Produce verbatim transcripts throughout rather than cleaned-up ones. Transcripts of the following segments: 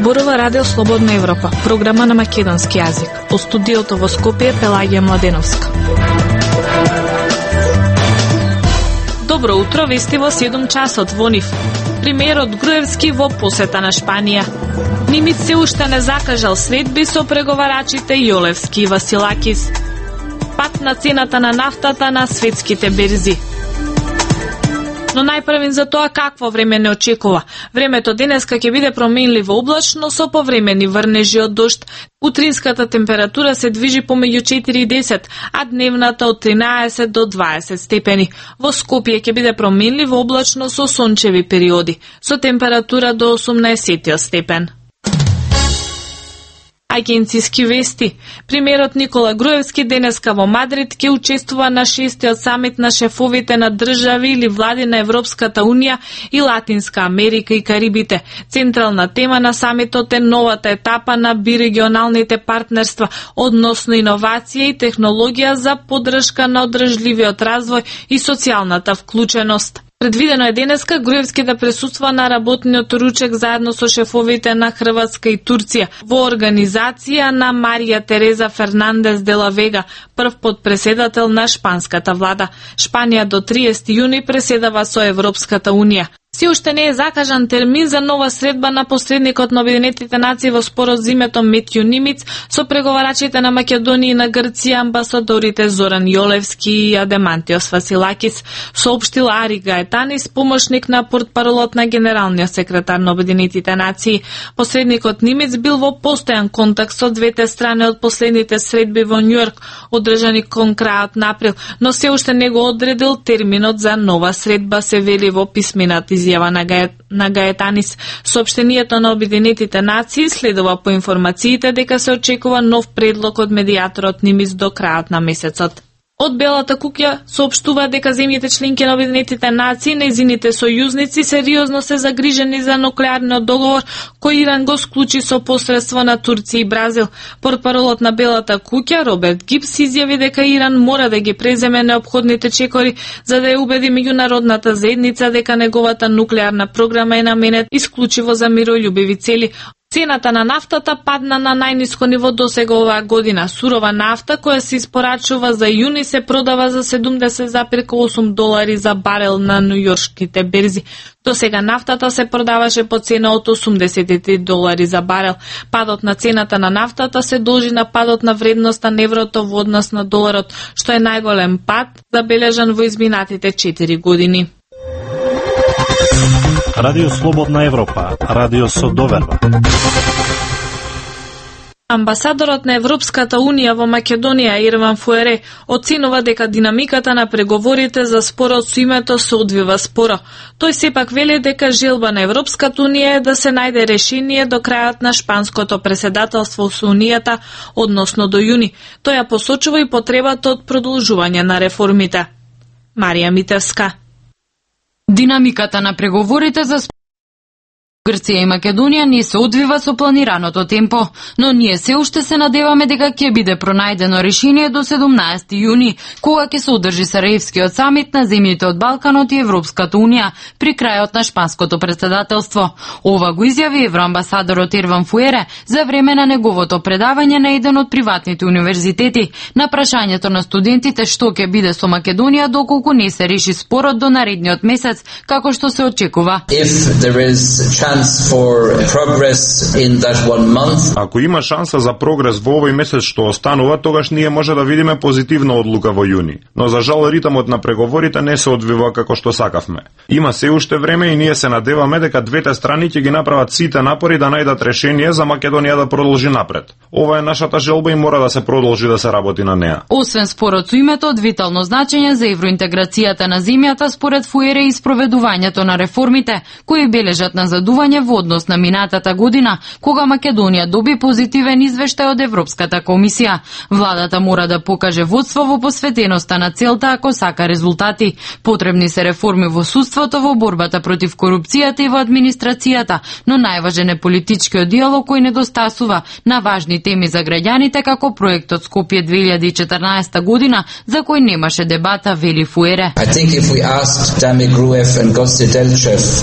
зборува Радио Слободна Европа, програма на македонски јазик. Во студиото во Скопје Пелагија Младеновска. Добро утро, вести во седум часот во НИФ. Премиерот Груевски во посета на Шпанија. Нимиц се уште не закажал средби со преговарачите Јолевски и Василакис. Пат на цената на нафтата на светските берзи. Но најпрвен за тоа какво време не очекува. Времето денеска ќе биде променливо облачно со повремени врнежи од дожд. Утринската температура се движи помеѓу четири и десет, а дневната од тринаесет до дваесет степени. Во Скопје ќе биде променливо облачно со сончеви периоди, со температура до осумнаесет степен. Агенцијски вести. Премиерот Никола Груевски денеска во Мадрид ќе учествува на шестиот самит на шефовите на држави или влади на Европската Унија и Латинска Америка и Карибите. Централна тема на самитот е новата етапа на бирегионалните партнерства, односно иновација и технологија за поддршка на одржливиот развој и социјалната вклученост. Предвидено е денеска Груевски да присуства на работниот ручек заедно со шефовите на Хрватска и Турција во организација на Марија Тереза Фернандес де ла Вега, прв потпреседател на шпанската влада. Шпанија до триесети јуни преседава со Европската Унија. Се уште не е закажан термин за нова средба на посредникот на Обединетите нации во спорот за името Метју Нимиц со преговарачите на Македонија и на Грција, амбасадорите Зоран Јолевски и Адемантиос Василакис, соопштил Ари Гаетанис, помошник на портпаролот на генералниот секретар на Обединетите нации. Посредникот Нимиц бил во постојан контакт со двете страни од последните средби во Њујорк, одржани кон крајот на април, но се уште не го одредил терминот за нова средба, се вели во писмената изјава на, Гает, на Гаетанис. Соопштението на Обединетите нации следува по информациите дека се очекува нов предлог од медијаторот Нимиц до крајот на месецот. Од Белата куќа соопштува дека земјите членки на Обединетите нации, нејзините сојузници, сериозно се загрижени за нуклеарниот договор кој Иран го склучи со посредство на Турција и Бразил. Портпаролот на Белата куќа Роберт Гибс изјави дека Иран мора да ги преземе неопходните чекори за да ја убеди меѓународната заедница дека неговата нуклеарна програма е наменет исклучиво за мирољубиви цели. Цената на нафтата падна на најниско ниво досега оваа година. Сурова нафта која се испорачува за јуни се продава за седумдесет зарез осум долари за барел на њујоршките берзи. Досега нафтата се продаваше по цена од осумдесет и три долари за барел. Падот на цената на нафтата се должи на падот на вредноста на еврото во однос на доларот, што е најголем пад забележан во изминатите четири години. Радио Слободна Европа, радио со доверба. Амбасадорот на Европската Унија во Македонија Ирван Фуере оценува дека динамиката на преговорите за спорот со името се одвива споро. Тој сепак вели дека желба на Европската Унија е да се најде решение до крајот на шпанското преседателство со Унијата, односно до јуни. Тој ја посочува и потребата од продолжување на реформите. Марија Митевска. Динамиката на преговорите за Грција и Македонија не се одвива со планираното темпо, но ние се уште се надеваме дека ќе биде пронајдено решение до седумнаесети јуни, кога ќе се одржи Сараевскиот самит на земјите од Балканот и Европската Унија при крајот на шпанското претседателство. Ова го изјави евроамбасадорот Ирван Фуере за време на неговото предавање на еден од приватните универзитети на прашањето на студентите што ќе биде со Македонија доколку не се реши спорот до наредниот месец, како што се очекува. Ако има шанса за прогрес во овој месец што останува, тогаш ние може да видиме позитивна одлука во јуни. Но за жал ритмот на преговорите не се одвива како што сакавме. Има се уште време и ние се надеваме дека двете страни ќе ги направат сите напори да најдат решение за Македонија да продолжи напред. Ова е нашата желба и мора да се продолжи да се работи на неа. Освен спорот со името од витално значење за евроинтеграцијата на земјата, според Фуере и спроведувањето на реформите кои бележат на задување во однос на минатата година, кога Македонија доби позитивен извештај од Европската комисија. Владата мора да покаже водство во посветеноста на целта ако сака резултати. Потребни се реформи во судството, во борбата против корупцијата и во администрацијата, но најважен е политичкиот диалог кој недостасува на важни теми за граѓаните како проектот Скопје две илјади и четрнаесета година, за кој немаше дебата, вели Фуере.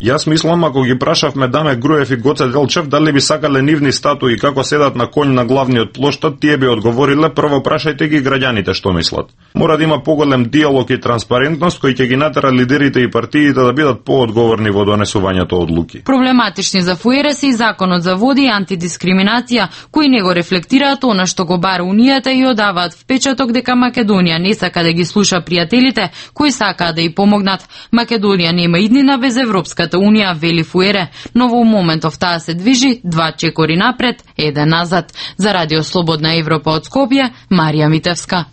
Јас мислам ако ги прашавме Даме Груев и Гоце Делчев дали би сакале нивни статуи како седат на конј на главниот плоштад, тие би одговориле: прво прашајте ги граѓаните што мислат. Мора да има поголем диалог и транспарентност кој ќе ги натера лидерите и партиите да бидат поодговорни во донесувањето одлуки. Проблематични за ФУЕР се и законот за води и антидискриминација, кои не го рефлектираат она што го бара Унијата и одаваат впечаток дека Македонија не сака да ги слуша пријателите кои сакаат да ја помогнат. Македонија нема иднина без Европската Унија, вели ФУЕР, но во моментов таа се движи два чекори напред, еден назад. За Радио Слободна Европа од Скопје, Марија Митевска.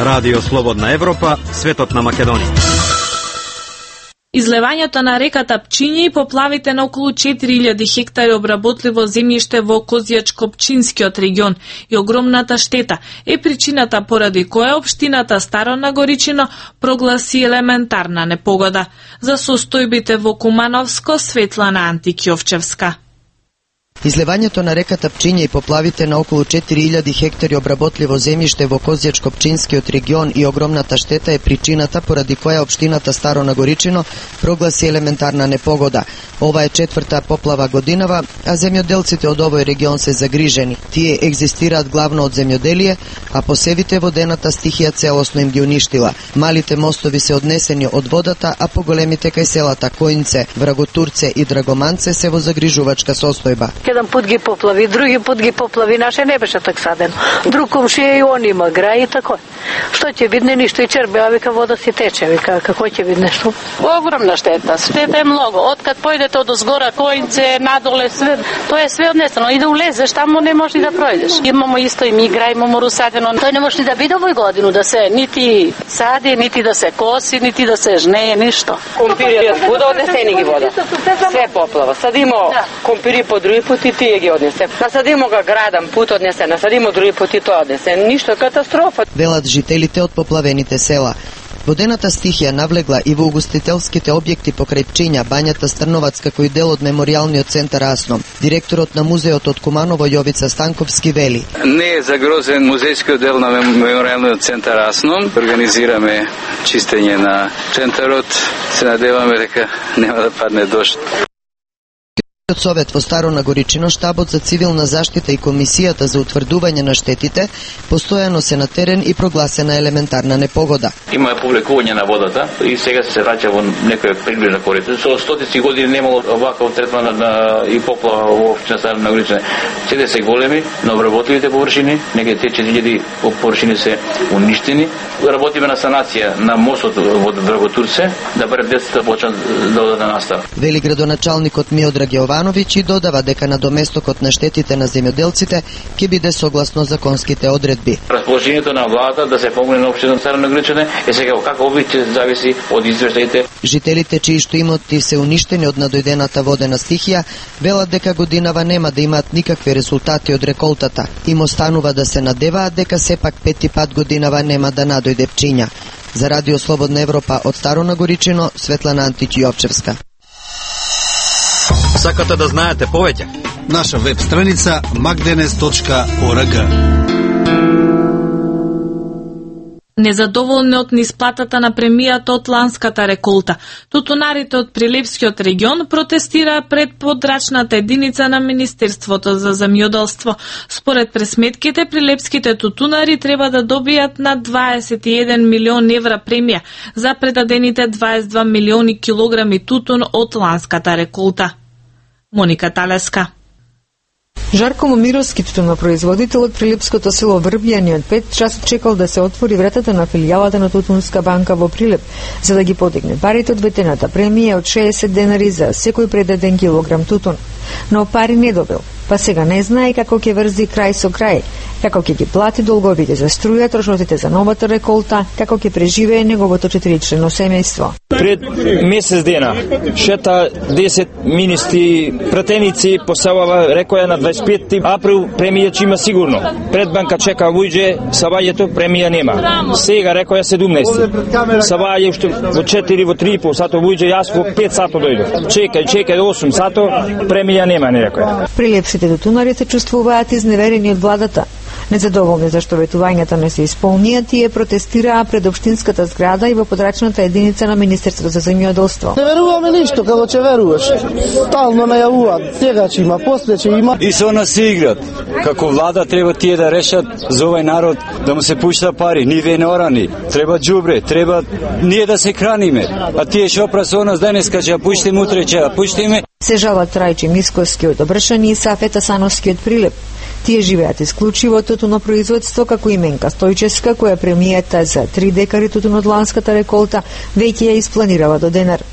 Радио Слободна Европа, светот на Македонија. Излевањето на реката Пчиња и поплавите на околу четири илјади хектари обработливо земјиште во Козјачко-Пчинскиот регион и огромната штета е причината поради која општината Старо Нагоричино прогласи елементарна непогода. За состојбите во Кумановско, Светлана Антикјовчевска. Излевањето на реката Пчиња и поплавите на околу четири илјади хектари обработливо земјиште во Козјачко-Пчинскиот регион и огромната штета е причината поради која општината Старо Нагоричино прогласи елементарна непогода. Ова е четврта поплава годинава, а земјоделците од овој регион се загрижени. Тие екзистираат главно од земјоделие, а посевите водената стихија целосно им ги уништила. Малите мостови се однесени од водата, а поголемите кај селата Коинце, Враготурце и Драгоманце се во загрижувачка состојба. Еден пут ги поплави, други пут ги поплави, наше не беше так садено. Друг комшија и он има грај и тако. Што ќе бидне ништо и чербе, а вика вода си тече, вика како ќе бидне што? Огромна штета, штета е многу. Откад појдете од озгора Коинце, надоле све, тоа е све однесено. И да улезеш таму не можеш да пројдеш. Имамо исто и ми грај, имамо русадено. Тој не може да биде овој годину да се нити сади, нити да се коси, нити да се жнее, ништо. Компириот буда однесени ги вода. Све поплава. Садимо компири по други пути тие ги однесе. Насадимо га градам пут однесе, насадимо други пути тоа однесе. Ништо, катастрофа. Велат жителите од поплавените села. Водената стихија навлегла и во угостителските објекти покрај Пчиња, Бањата Стрновац, како и дел од меморијалниот центар Асно. Директорот на музеот од Куманово Јовица Станковски вели: Не е загрозен музејскиот дел на меморијалниот центар Асно. Организираме чистење на центарот. Се надеваме дека нема да падне дожд. Совет во Старо Нагоричино, штабот за цивилна заштита и комисијата за утврдување на штетите постојано се на терен и прогласена елементарна непогода. Има повлекување на водата и сега се враќа во некоја приближна корица. Со стотици години немало оваков третман на, на и поплава во општина Старо Нагоричино. Сите се големи, на обработливите површини, некаде те четири илјади површини се уништени. Работиме на санација на мостот во Драготурце, да барем децата почнат да одат на настава. Вели градоначалникот Миодраг Јовановиќ и додава дека на доместокот на штетите на земјоделците ќе биде согласно законските одредби. Расположението на владата да се помогне на општината Старо Нагоричино е сега како овие ќе зависи од извештаите. Жителите чии што имоти се уништени од надојдената водена стихија велат дека годинава нема да имаат никакви резултати од реколтата. Им останува да се надеваат дека сепак пети пат годинава нема да надојде Пчиња. За Радио Слободна Европа од Старо Нагоричино, Светлана Антикјовчевска. Сакате да знаете повеќе? Наша веб страница magdenes точка org. Незадоволни од неисплатата на премијата од ланската реколта, тутунарите од Прилепскиот регион протестираа пред подрачната единица на Министерството за земјоделство. Според пресметките, прилепските тутунари треба да добијат на дваесет и еден милион евра премија за предадените дваесет и два милиони килограми тутун од ланската реколта. Моника Талеска. Жарко Момировски, тутунопроизводител од Прилепското село Врбјани, од пет часот чекал да се отвори вратата на филијалата на Тутунска банка во Прилеп, за да ги подигне парите од ветената премија од шеесет денари за секој предаден килограм тутун. Но пари не добил, па сега не знае како ќе врзи крај со крај, како ќе ги плати долговите за струја, трошоците за новата реколта, како ќе преживее неговото четиричлено семејство. Пред месец дена шета десет министри пратеници по селава, рекоја на дваесет и пети април премија ќе има сигурно. Пред банка чека вујđe, савајето премија нема. Сега рекоја седумнаесети. Саваје уште во четири, во три и пол сато вујđe, јас во пет сато дојдов. Чекај, чекај осум сато, премија нема, не рекоја. Прилепските тутунари се чувствуваат изневерени од владата. Незадоволни зашто ветувањата не се исполнија, тие протестираа пред општинската зграда и во подрачната единица на Министерството за земјоделство. Не веруваме ништо, како ќе веруваш. Стално најавуваат, сега ќе има, после ќе има. И со нас се играт. Како влада треба тие да решат за овој народ да му се пушта пари, ниве не орани. Треба џубре, треба ние да се храниме. А тие што опра нас денеска ќе ја пуштиме, утре ќе ја пуштиме. Се жалат Трајче Мисковски од Обршани и Сафет Асановски од Прилеп. Тие живеат исклучиво од тутунопроизводство, како и Менка Стојчевска, која премијата за три декари тутун од ланската реколта веќе ја испланирала до денар.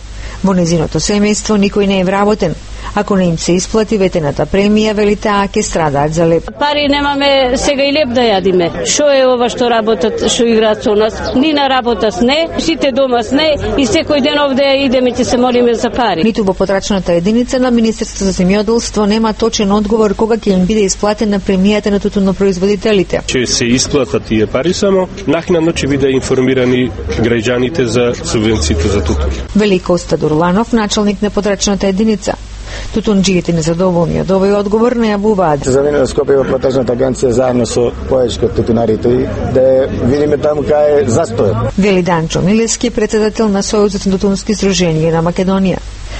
Во незиното семејство никој не е вработен. Ако не им се исплати ветената премија, вели таа, ќе страдаат за леп. Пари немаме сега и леп да јадиме. Шо е ова што работат, што играат со нас? Ни на работа сне, сите дома сне и секој ден овде идеме ќе се молиме за пари. Ниту во потрачната единица на Министерството за земјоделство нема точен одговор кога ќе им биде исплатена премијата на тутунопроизводителите. Ќе се исплатат тие пари, само накнадно ќе биде информирани граѓаните за субвенциите за тутун. Вели Коста Дурланов, началник на потрачната единица. Тутунџиите незадоволни од овој одговор најавуваат. За мене Скопје во потрачната агенција заедно со поечки од тутунарите да видиме таму кај е застојот. Вели Данчо Милевски, председател на Сојузот на тутунски сдруженија на Македонија.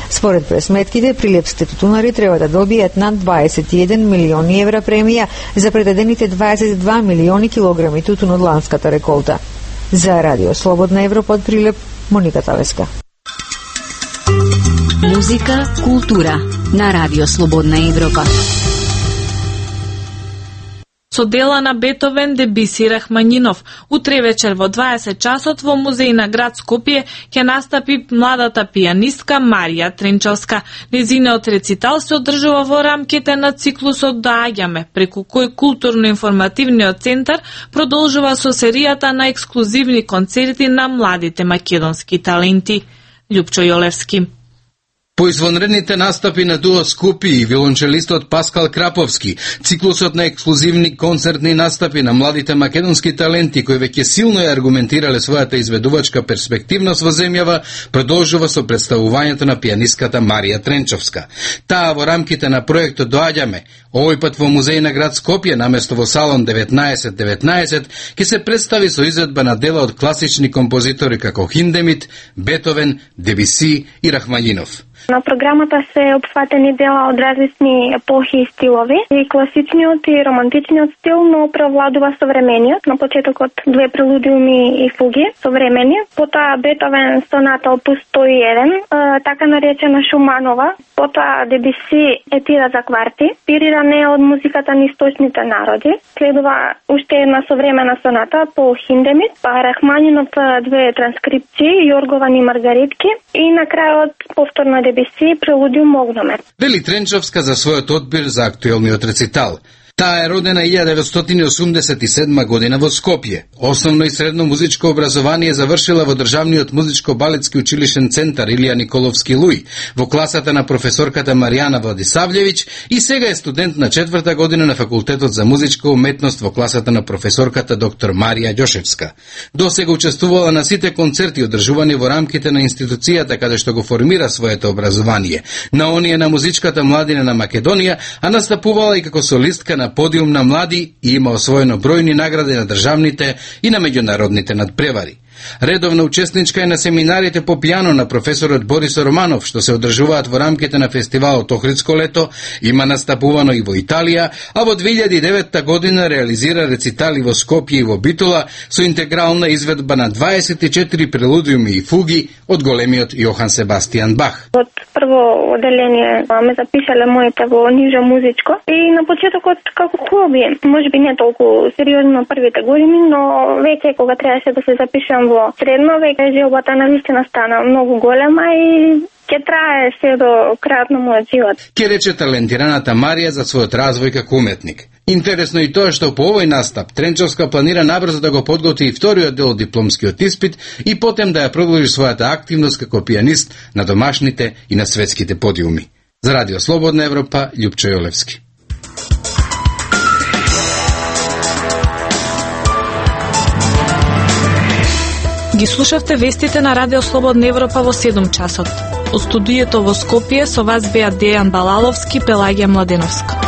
Според пресметките, прилепските тутунари треба да добијат над дваесет и еден милиони евра премија за предадените дваесет и два милиони килограми тутун од ланската реколта. За Радио Слободна Европа од Прилеп, Моника Тавеска. Музика, култура на Радио Слободна Европа. Со дела на Бетовен, Дебиси, Рахманинов. Утре вечер во дваесет часот во музеј на град Скопје ќе настапи младата пијанистка Марија Тренчовска. Незиниот рецитал се одржува во рамките на циклусот Доаѓаме, преку кој културно-информативниот центар продолжува со серијата на ексклузивни концерти на младите македонски таленти. Љупчо Јолевски. По извонредните настапи на Дуо Скупи и виолончелистот Паскал Краповски, циклусот на ексклузивни концертни настапи на младите македонски таленти кои веќе силно ја аргументирале својата изведувачка перспективност во земјава, продолжува со представувањето на пијанистката Марија Тренчовска. Таа во рамките на проектот Доаѓаме, овој пат во музеј на град Скопје, наместо во салон деветнаесет деветнаесет, ќе се представи со изведба на дела од класични композитори како Хиндемит, Бетовен, Дебиси и Рахманинов. На програмата се опфатени дела од различни епохи и стилови, и класичниот и романтичниот стил, но превладува современиот. На почетокот две прелудиуми и фуги, современи, потоа Бетовен соната опус сто и еден, така наречена Шуманова, потоа Дебиси етира за кварти, инспириране од музиката на источните народи. Следува уште една современа соната по Хиндемит, па Рахманинов две транскрипции, Јоргован и Маргаритки, и на крајот повторно Дебиси прелудиум Огномет. Вели Тренчовска за својот одбир за актуелниот рецитал. Таа е родена илјада деветстотини и осумдесет и седма година во Скопје. Основно и средно музичко образование завршила во Државниот музичко-балетски училишен центар Илија Николовски Луј, во класата на професорката Маријана Владисављевиќ, и сега е студент на четврта година на факултетот за музичка уметност во класата на професорката доктор Марија Ѓошевска. До сега учествувала на сите концерти одржувани во рамките на институцијата каде што го формира своето образование, на оние на музичката младина на Македонија, а настапувала и како солистка на подиум на млади и има освоено бројни награди на државните и на меѓународните надпревари. Редовна учесничка е на семинарите по пијано на професорот Борис Романов, што се одржуваат во рамките на фестивалот Охридско лето, има настапувано и во Италија, а во две илјади и девета година реализира рецитали во Скопје и во Битола со интегрална изведба на дваесет и четири прелудиуми и фуги од големиот Јохан Себастијан Бах. Од прво оделение ме запишале моите во нижо музичко и на почетокот како хоби, можеби не толку сериозно првите години, но веќе кога требаше да се запишам во средно, веќе желбата на вистина стана многу голема и ќе трае се до крајот на мојот живот. Ке рече талентираната Марија за својот развој како уметник. Интересно и тоа што по овој настап Тренчовска планира набрзо да го подготви и вториот дел од дипломскиот испит и потем да ја продолжи својата активност како пијанист на домашните и на светските подиуми. За Радио Слободна Европа, Љупчо Јолевски. Ги слушавте вестите на Радио Слободна Европа во седум часот. Од студиото во Скопје со вас беа Дејан Балаловски, Пелагија Младеновска.